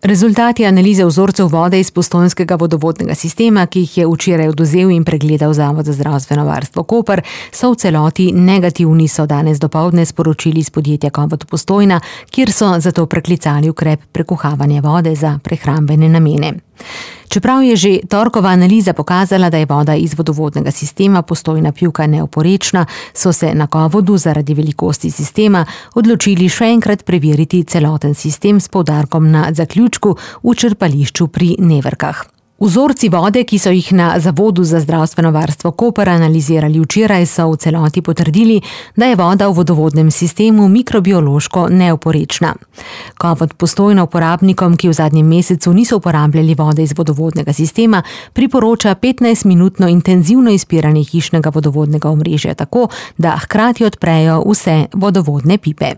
Rezultati analize vzorcev vode iz postojnskega vodovodnega sistema, ki jih je včeraj odvzel in pregledal Zavod za zdravstveno varstvo Koper, so v celoti negativni, so danes dopoldne sporočili iz podjetja Kovod Postojna, kjer so zato preklicali ukrep prekuhavanja vode za prehrambene namene. Čeprav je že torkova analiza pokazala, da je voda iz vodovodnega sistema Postojna Pivka neoporečna, so se na Kovodu zaradi velikosti sistema odločili še enkrat preveriti celoten sistem s poudarkom na zaključku v črpališču pri Neverkah. Vzorci vode, ki so jih na Zavodu za zdravstveno varstvo Koper analizirali včeraj, so v celoti potrdili, da je voda v vodovodnem sistemu mikrobiološko neoporečna. Kovod Postojna uporabnikom, ki v zadnjem mesecu niso uporabljali vode iz vodovodnega sistema, priporoča 15-minutno intenzivno izpiranje hišnega vodovodnega omrežja tako, da hkrati odprejo vse vodovodne pipe.